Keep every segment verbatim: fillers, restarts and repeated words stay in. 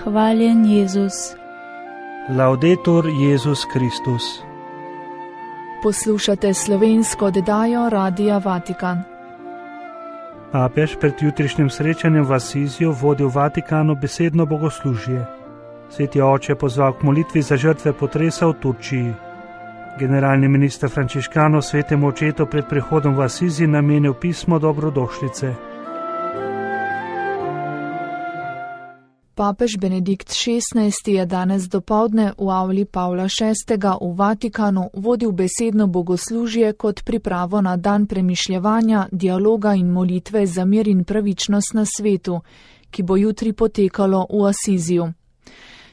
Hvaljen Jezus. Laudetur Jezus Kristus. Poslušate slovensko oddajo Radia Vatikan. Papež pred jutrišnjim srečanjem v Asiziju vodi v Vatikanu besedno bogoslužje. Sveti oče pozval k molitvi za žrtve potresa v Turčiji. Generalni minister Frančiškanov svetemu očetu pred prihodom v Asizij namenil pismo dobrodošlice. Papež Benedikt šestnajsti je danes dopoldne v avli Pavla šestega v Vatikanu vodil besedno bogoslužje kot pripravo na dan premišljevanja, dialoga in molitve za mir in pravičnost na svetu, ki bo jutri potekalo v Asiziju.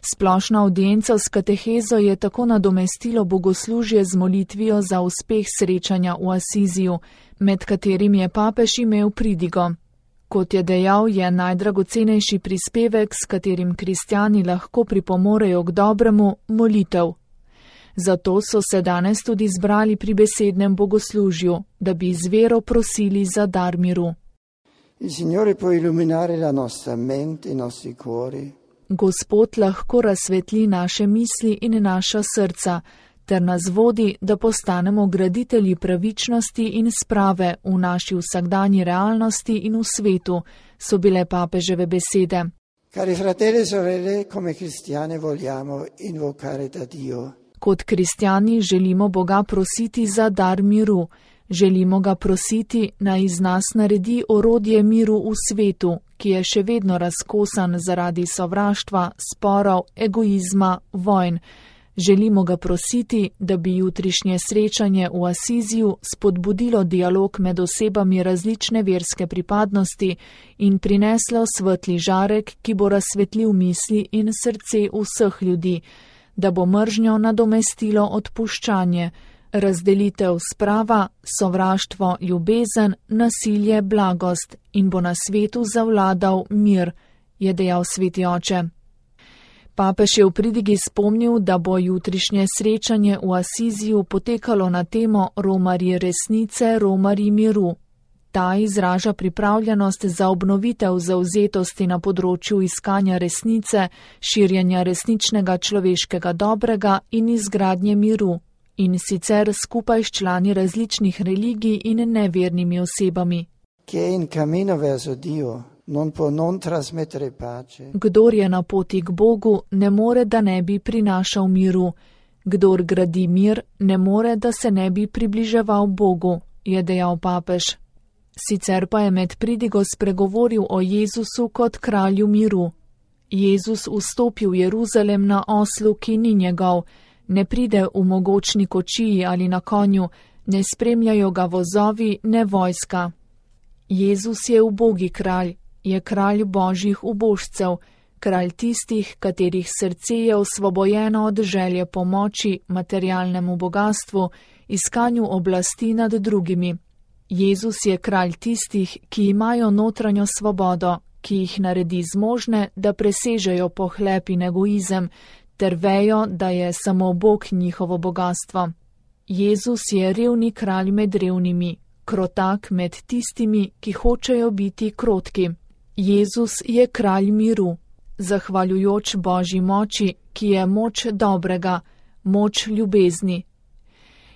Splošna avdienca s katehezo je tako nadomestilo bogoslužje z molitvijo za uspeh srečanja v Asiziju, med katerim je papež imel pridigo. Kot je dejal, je najdragocenejši prispevek, s katerim kristjani lahko pripomorejo k dobremu, molitev. Zato so se danes tudi zbrali pri besednem bogoslužju, da bi z vero prosili za dar miru. Gospod lahko razsvetli naše misli in naša srca, ter nas vodi, da postanemo graditelji pravičnosti in sprave v naši vsakdanji realnosti in v svetu, so bile papeževe besede. Kot kristjani želimo Boga prositi za dar miru, želimo ga prositi, naj iz nas naredi orodje miru v svetu, ki je še vedno razkosan zaradi sovraštva, sporov, egoizma, vojn. Želimo ga prositi, da bi jutrišnje srečanje v Asiziju spodbudilo dialog med osebami različne verske pripadnosti in prineslo svetli žarek, ki bo razsvetlil misli in srce vseh ljudi, da bo mržnjo nadomestilo odpuščanje, razdelitev sprava, sovraštvo, ljubezen, nasilje, blagost in bo na svetu zavladal mir, je dejal sveti oče. Papež je v pridigi spomnil, da bo jutrišnje srečanje v Asiziju potekalo na temo Romarji resnice, Romarji miru. Ta izraža pripravljenost za obnovitev zavzetosti na področju iskanja resnice, širjenja resničnega človeškega dobrega in izgradnje miru, in sicer skupaj s člani različnih religij in nevernimi osebami. Kdor je na poti k Bogu, ne more, da ne bi prinašal miru. Kdor gradi mir, ne more, da se ne bi približeval Bogu, je dejal papež. Sicer pa je med pridigo spregovoril o Jezusu kot kralju miru. Jezus vstopi v Jeruzalem na oslu, ki ni njegov, ne pride v mogočni kočiji ali na konju, ne spremljajo ga vozovi, ne vojska. Jezus je ubogi kralj. Je kralj božjih ubožcev, kralj tistih, katerih srce je osvobojeno od želje pomoči, materialnemu bogatstvu, iskanju oblasti nad drugimi. Jezus je kralj tistih, ki imajo notranjo svobodo, ki jih naredi zmožne, da presežejo pohlep in egoizem, ter vejo, da je samo Bog njihovo bogatstvo. Jezus je revni kralj med revnimi, krotak med tistimi, ki hočejo biti krotki. Jezus je kralj miru, zahvaljujoč Božji moči, ki je moč dobrega, moč ljubezni.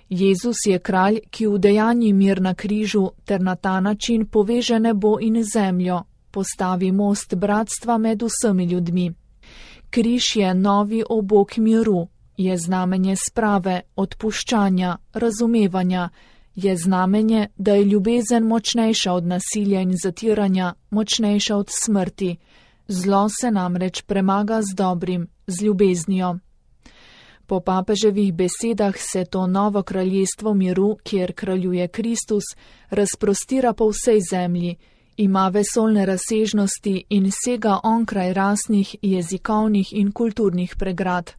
Jezus je kralj, ki udejanji mir na križu ter na ta način poveže nebo in zemljo, postavi most bratstva med vsemi ljudmi. Križ je novi obok miru, je znamenje sprave, odpuščanja, razumevanja, je znamenje, da je ljubezen močnejša od nasilja in zatiranja, močnejša od smrti. Zlo se namreč premaga z dobrim, z ljubeznijo. Po papeževih besedah se to novo kraljestvo miru, kjer kraljuje Kristus, razprostira po vsej zemlji, ima vesoljne razsežnosti in sega onkraj rasnih, jezikovnih in kulturnih pregrad.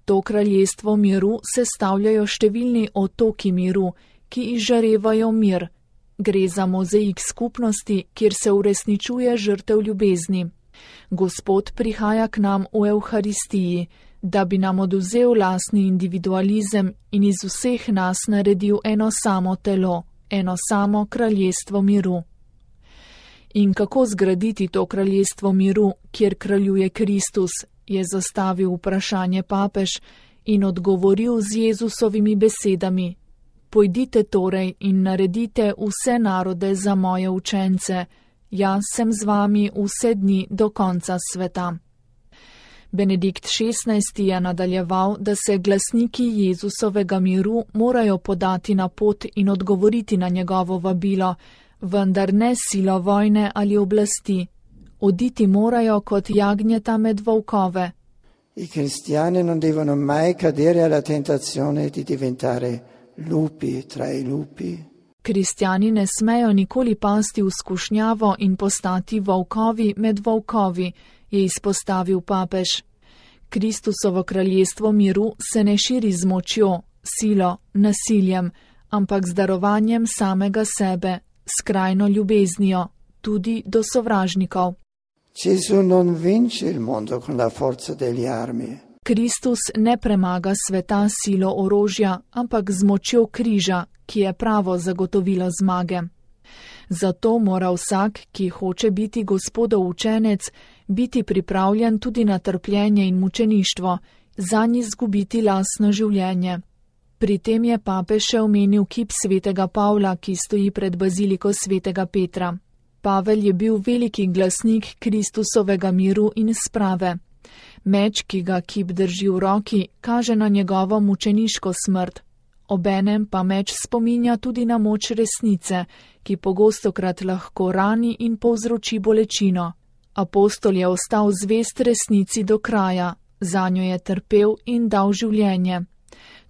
To kraljestvo miru sestavljajo številni otoki miru, ki izžarevajo mir. Gre za mozaik skupnosti, kjer se uresničuje žrtev ljubezni. Gospod prihaja k nam v Evharistiji, da bi nam oduzel lastni individualizem in iz vseh nas naredil eno samo telo, eno samo kraljestvo miru. In kako zgraditi to kraljestvo miru, kjer kraljuje Kristus, je zastavil vprašanje papež in odgovoril z Jezusovimi besedami: Pojdite torej in naredite vse narode za moje učence, jaz sem z vami vse dni do konca sveta. Benedikt šestnajsti je nadaljeval, da se glasniki Jezusovega miru morajo podati na pot in odgovoriti na njegovo vabilo, vendar ne silo vojne ali oblasti. Oditi morajo kot jagnjeta med volkove. I cristiani non devono mai cadere alla tentazione di diventare lupi tra i lupi. Kristjani ne smejo nikoli pasti v skušnjavo in postati volkovi med volkovi, je izpostavil papež. Kristusovo kraljestvo miru se ne širi z močjo, silo, nasiljem, ampak z darovanjem samega sebe, skrajno ljubeznijo, tudi do sovražnikov. Gesù non vince il mondo con la forza delle armi. Kristus ne premaga sveta silo orožja, ampak z močjo križa, ki je pravo zagotovilo zmage. Zato mora vsak, ki hoče biti Gospodov učenec, biti pripravljen tudi na trpljenje in mučeništvo, zanj izgubiti lastno življenje. Pri tem je papež še omenil kip svetega Pavla, ki stoji pred baziliko svetega Petra. Pavel je bil veliki glasnik Kristusovega miru in sprave. Meč, ki ga kip drži v roki, kaže na njegovo mučeniško smrt. Obenem pa meč spominja tudi na moč resnice, ki pogostokrat lahko rani in povzroči bolečino. Apostol je ostal zvest resnici do kraja, zanjo je trpel in dal življenje.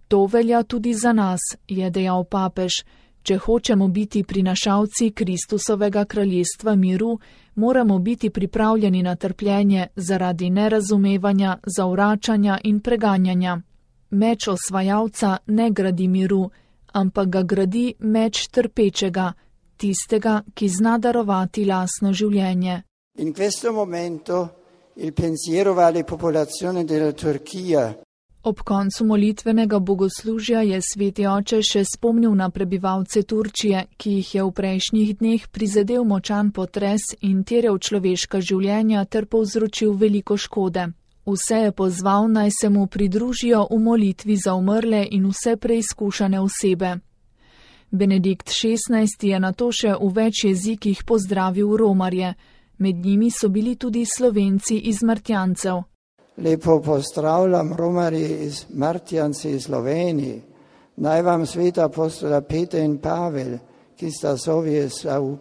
To velja tudi za nas, je dejal papež. Če hočemo biti prinašalci Kristusovega kraljestva miru, moramo biti pripravljeni na trpljenje zaradi nerazumevanja, zavračanja in preganjanja. Meč osvajalca ne gradi miru, ampak ga gradi meč trpečega, tistega, ki zna darovati lastno življenje. In questo momento il pensiero va alle popolazioni della Turchia. Ob koncu molitvenega bogoslužja je sveti oče še spomnil na prebivalce Turčije, ki jih je v prejšnjih dneh prizadel močan potres in terjal človeška življenja ter povzročil veliko škode. Vse je pozval, naj se mu pridružijo v molitvi za umrle in vse preizkušane osebe. Benedikt šestnajsti je nato še v več jezikih pozdravil romarje. Med njimi so bili tudi Slovenci iz Martjancev. Lepo pozdravljam romarji iz Martjanci iz Sloveniji. Naj vam svet apostola Peter in Pavel, ki sta zovje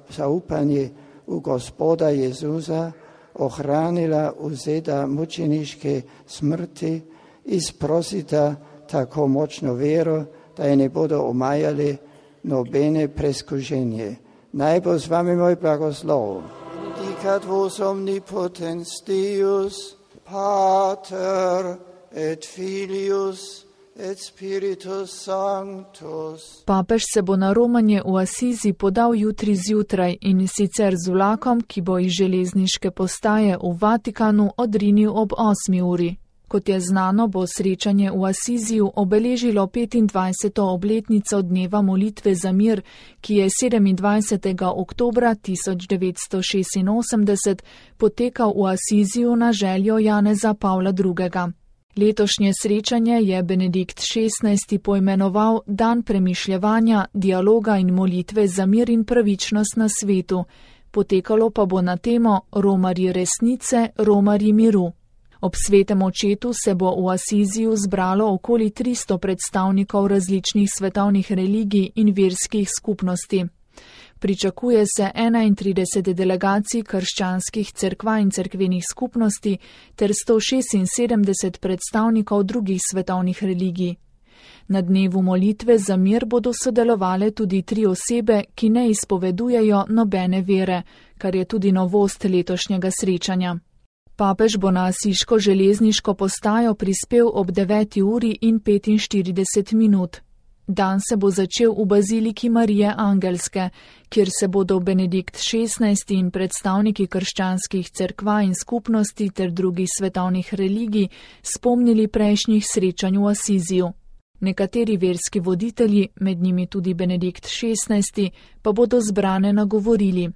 zaupanje v Gospoda Jezusa, ohranila vzeta mučeniške smrti, izprosita tako močno vero, da je ne bodo omajali nobene preskušenje. Naj bo z vami moj blagoslov. Benedicat vos omnipotens Deus, Pater et Filius et Spiritus Sanctus. Papež se bo na romanje v Asizi podal jutri zjutraj in sicer z vlakom, ki bo iz železniške postaje v Vatikanu odrinil ob osmi uri. Kot je znano, bo srečanje v Asiziju obeležilo petindvajseto obletnico dneva molitve za mir, ki je sedemindvajsetega oktobra tisoč devetsto šestinosemdeset potekal v Asiziju na željo Janeza Pavla drugega. Letošnje srečanje je Benedikt šestnajsti poimenoval Dan premišljevanja, dialoga in molitve za mir in pravičnost na svetu. Potekalo pa bo na temo Romarji resnice, Romarji miru. Ob svetem očetu se bo v Asiziju zbralo okoli tristo predstavnikov različnih svetovnih religij in verskih skupnosti. Pričakuje se enaintrideset delegacij krščanskih cerkva in cerkvenih skupnosti ter sto šestinsedemdeset predstavnikov drugih svetovnih religij. Na dnevu molitve za mir bodo sodelovale tudi tri osebe, ki ne izpovedujejo nobene vere, kar je tudi novost letošnjega srečanja. Papež bo na asiško železniško postajo prispel ob deveti uri in petinštirideset minut. Dan se bo začel v baziliki Marije Angelske, kjer se bodo Benedikt šestnajsti in predstavniki krščanskih cerkva in skupnosti ter drugih svetovnih religij spomnili prejšnjih srečanj v Asiziju. Nekateri verski voditelji, med njimi tudi Benedikt šestnajsti, pa bodo zbrane nagovorili.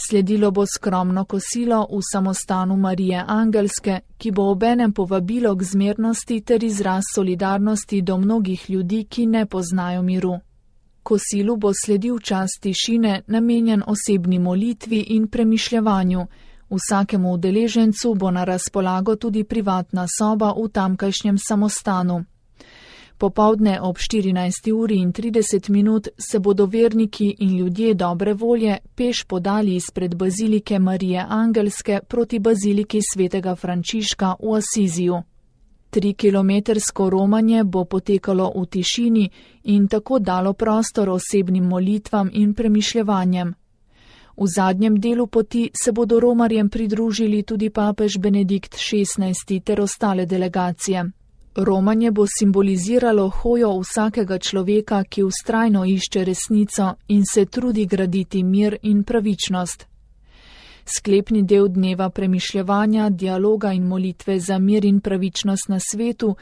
Sledilo bo skromno kosilo v samostanu Marije Angelske, ki bo obenem povabilo k zmernosti ter izraz solidarnosti do mnogih ljudi, ki ne poznajo miru. Kosilu bo sledil čas tišine, namenjen osebni molitvi in premišljevanju. Vsakemu udeležencu bo na razpolago tudi privatna soba v tamkajšnjem samostanu. Popoldne ob štirinajsti uri in trideset minut se bodo verniki in ljudje dobre volje peš podali izpred bazilike Marije Angelske proti baziliki svetega Frančiška v Asiziju. Trikilometrsko romanje bo potekalo v tišini in tako dalo prostor osebnim molitvam in premišljevanjem. V zadnjem delu poti se bodo romarjem pridružili tudi papež Benedikt šestnajsti ter ostale delegacije. Romanje bo simboliziralo hojo vsakega človeka, ki vztrajno išče resnico in se trudi graditi mir in pravičnost. Sklepni del dneva premišljevanja, dialoga in molitve za mir in pravičnost na svetu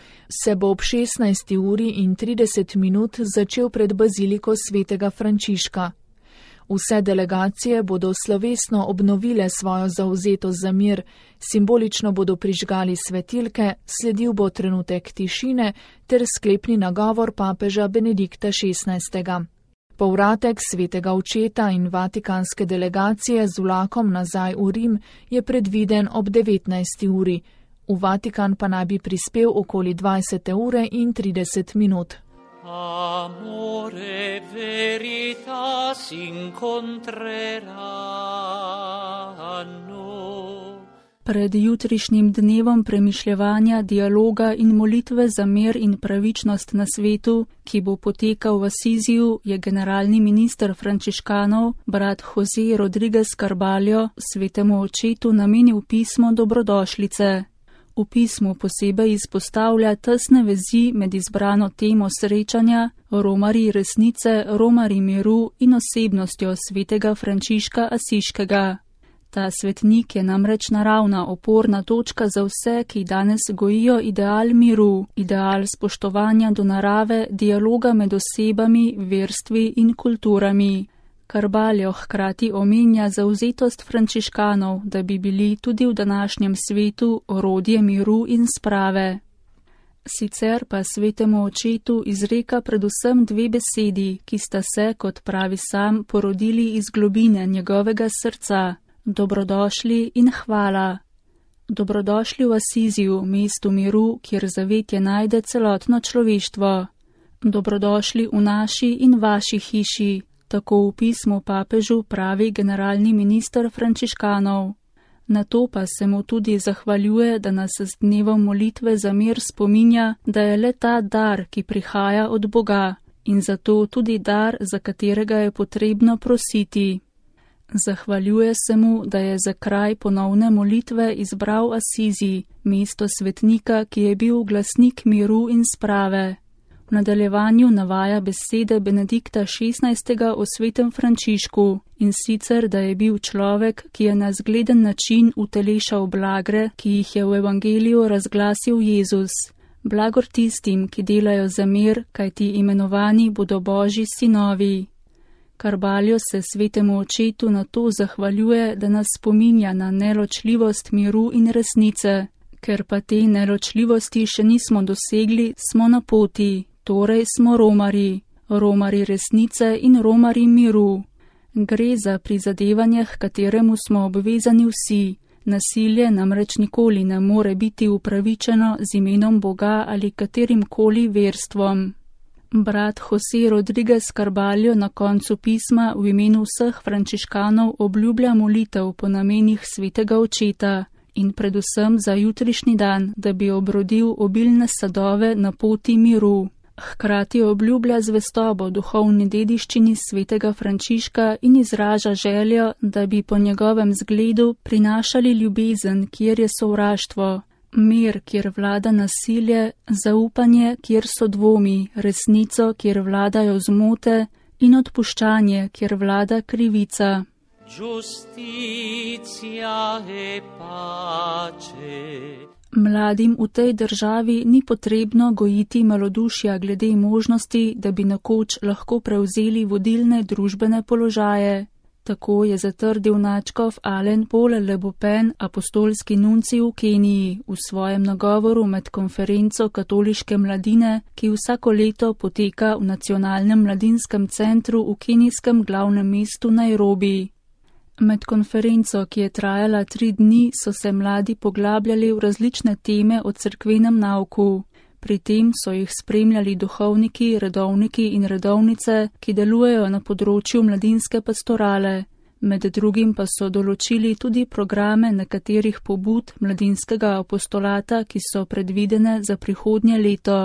se bo ob šestnajsti uri in trideset minut začel pred baziliko svetega Frančiška. Vse delegacije bodo slovesno obnovile svojo zavzetost za mir, simbolično bodo prižgali svetilke, sledil bo trenutek tišine ter sklepni nagovor papeža Benedikta šestnajstega. Povratek svetega očeta in vatikanske delegacije z vlakom nazaj v Rim je predviden ob devetnajsti uri. V Vatikan pa naj bi prispel okoli dvajsete ure in trideset minut. Amore veritas incontreranno. Pred jutrišnjim dnevom premišljevanja, dialoga in molitve za mir in pravičnost na svetu, ki bo potekal v Asiziju, je generalni minister frančiškanov, brat Jose Rodriguez Carballo, svetemu očetu namenil pismo dobrodošlice. V pismu posebej izpostavlja tesne vezi med izbrano temo srečanja, romarji resnice, romarji miru in osebnostjo svetega Frančiška Asiškega. Ta svetnik je namreč naravna oporna točka za vse, ki danes gojijo ideal miru, ideal spoštovanja do narave, dialoga med osebami, verstvi in kulturami. Carballo hkrati omenja zavzetost frančiškanov, da bi bili tudi v današnjem svetu orodje miru in sprave. Sicer pa svetemu očetu izreka predvsem dve besedi, ki sta se, kot pravi sam, porodili iz globine njegovega srca: dobrodošli in hvala. Dobrodošli v Asiziju, mestu miru, kjer zavetje najde celotno človeštvo. Dobrodošli v naši in vaši hiši. Tako v pismu papežu pravi generalni minister frančiškanov. Na to pa se mu tudi zahvaljuje, da nas z dnevom molitve za mir spominja, da je le ta dar, ki prihaja od Boga, in zato tudi dar, za katerega je potrebno prositi. Zahvaljuje se mu, da je za kraj ponovne molitve izbral Asizi, mesto svetnika, ki je bil glasnik miru in sprave. V nadaljevanju navaja besede Benedikta šestnajstega o svetem Frančišku, in sicer, da je bil človek, ki je na zgleden način utelešal blagre, ki jih je v evangeliju razglasil Jezus. Blagor tistim, ki delajo za mir, kajti imenovani bodo Božji sinovi. Carballo se svetemu očetu na to zahvaljuje, da nas spominja na neločljivost miru in resnice. Ker pa te neločljivosti še nismo dosegli, smo na poti. Torej smo romari, romari resnice in romari miru. Gre za prizadevanje, k kateremu smo obvezani vsi. Nasilje namreč nikoli ne more biti upravičeno z imenom Boga ali katerim koli verstvom. Brat Jose Rodriguez Carballo na koncu pisma v imenu vseh frančiškanov obljublja molitev po namenih svetega očeta in predvsem za jutrišnji dan, da bi obrodil obilne sadove na poti miru. Hkrati obljublja zvestobo duhovni dediščini svetega Frančiška in izraža željo, da bi po njegovem zgledu prinašali ljubezen, kjer je sovraštvo, mir, kjer vlada nasilje, zaupanje, kjer so dvomi, resnico, kjer vladajo zmote in odpuščanje, kjer vlada krivica. Giustizia e pace. Mladim v tej državi ni potrebno gojiti malodušja glede možnosti, da bi nekoč lahko prevzeli vodilne družbene položaje. Tako je zatrdil nadškof Alen Paul Le Beaupen, apostolski nuncij v Keniji, v svojem nagovoru med konferenco katoliške mladine, ki vsako leto poteka v nacionalnem mladinskem centru v kenijskem glavnem mestu Nairobi. Med konferenco, ki je trajala tri dni, so se mladi poglabljali v različne teme o cerkvenem nauku. Pri tem so jih spremljali duhovniki, redovniki in redovnice, ki delujejo na področju mladinske pastorale. Med drugim pa so določili tudi programe nekaterih pobud mladinskega apostolata, ki so predvidene za prihodnje leto.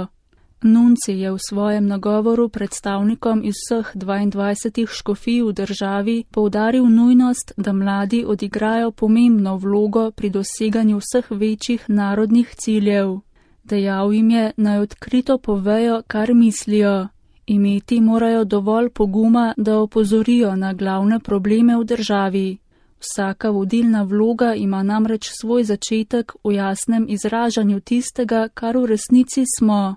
Nunci je v svojem nagovoru predstavnikom iz vseh dvaindvajsetih škofij v državi poudaril nujnost, da mladi odigrajo pomembno vlogo pri doseganju vseh večjih narodnih ciljev. Dejal jim je, naj odkrito povejo, kar mislijo. Imeti morajo dovolj poguma, da opozorijo na glavne probleme v državi. Vsaka vodilna vloga ima namreč svoj začetek v jasnem izražanju tistega, kar v resnici smo.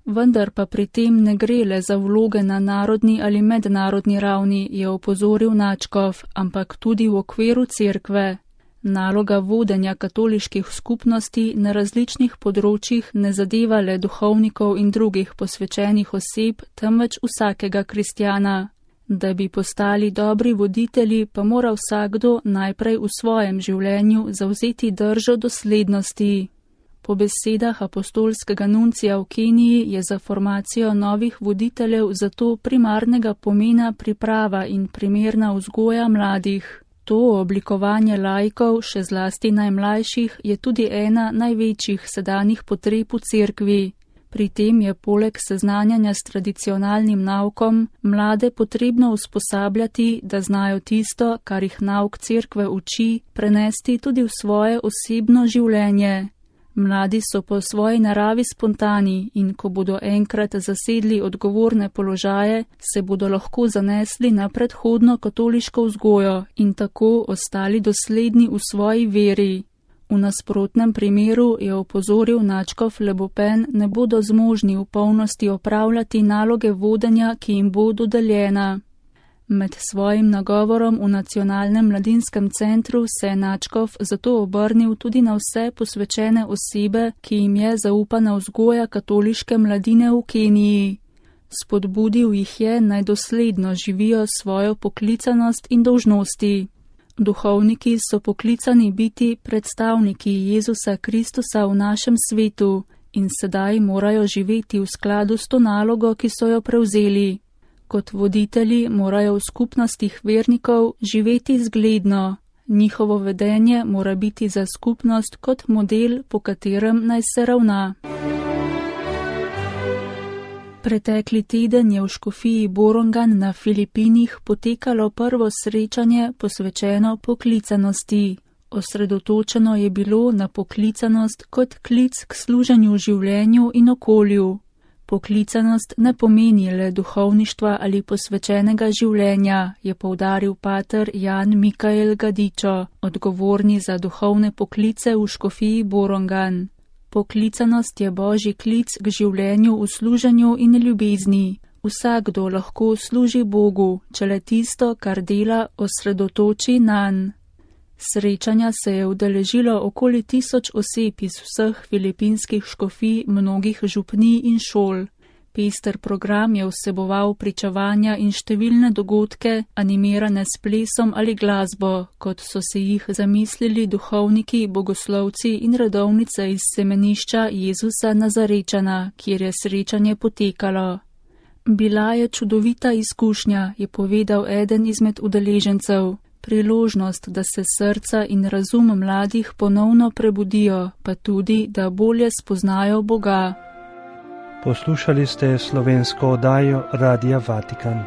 Vendar pa pri tem ne gre le za vloge na narodni ali mednarodni ravni, je opozoril nadškof, ampak tudi v okviru cerkve. Naloga vodenja katoliških skupnosti na različnih področjih ne zadeva le duhovnikov in drugih posvečenih oseb, temveč vsakega kristjana. Da bi postali dobri voditelji, pa mora vsakdo najprej v svojem življenju zavzeti držo doslednosti. Po besedah apostolskega nuncija v Keniji je za formacijo novih voditeljev zato primarnega pomena priprava in primerna vzgoja mladih. To oblikovanje laikov, še zlasti najmlajših, je tudi ena največjih sedanjih potreb v cerkvi. Pri tem je poleg seznanjanja s tradicionalnim naukom mlade potrebno usposabljati, da znajo tisto, kar jih nauk cerkve uči, prenesti tudi v svoje osebno življenje. Mladi so po svoji naravi spontani in ko bodo enkrat zasedli odgovorne položaje, se bodo lahko zanesli na predhodno katoliško vzgojo in tako ostali dosledni v svoji veri. V nasprotnem primeru, je opozoril nadškof Le Beaupen, ne bodo zmožni v polnosti opravljati naloge vodenja, ki jim bo dodeljena. Med svojim nagovorom v nacionalnem mladinskem centru se je nadškof zato obrnil tudi na vse posvečene osebe, ki jim je zaupana vzgoja katoliške mladine v Keniji. Spodbudil jih je, naj dosledno živijo svojo poklicanost in dolžnosti. Duhovniki so poklicani biti predstavniki Jezusa Kristusa v našem svetu in sedaj morajo živeti v skladu s to nalogo, ki so jo prevzeli. Kot voditelji morajo v skupnostih vernikov živeti zgledno. Njihovo vedenje mora biti za skupnost kot model, po katerem naj se ravna. Pretekli teden je v škofiji Borongan na Filipinih potekalo prvo srečanje posvečeno poklicanosti. Osredotočeno je bilo na poklicanost kot klic k služenju življenju in okolju. Poklicanost ne pomeni le duhovništva ali posvečenega življenja, je poudaril pater Jan Mikael Gadičo, odgovorni za duhovne poklice v škofiji Borongan. Poklicanost je božji klic k življenju v služenju in ljubezni. Vsakdo lahko služi Bogu, če le tisto, kar dela, osredotoči nanj. Srečanja se je udeležilo okoli tisoč oseb iz vseh filipinskih škofij, mnogih župnij in šol. Pester program je vseboval pričevanja in številne dogodke, animirane s plesom ali glasbo, kot so se jih zamislili duhovniki, bogoslovci in redovnice iz semenišča Jezusa Nazarečana, kjer je srečanje potekalo. Bila je čudovita izkušnja, je povedal eden izmed udeležencev. Priložnost, da se srca in razum mladih ponovno prebudijo, pa tudi, da bolje spoznajo Boga. Poslušali ste slovensko oddajo Radia Vatikan.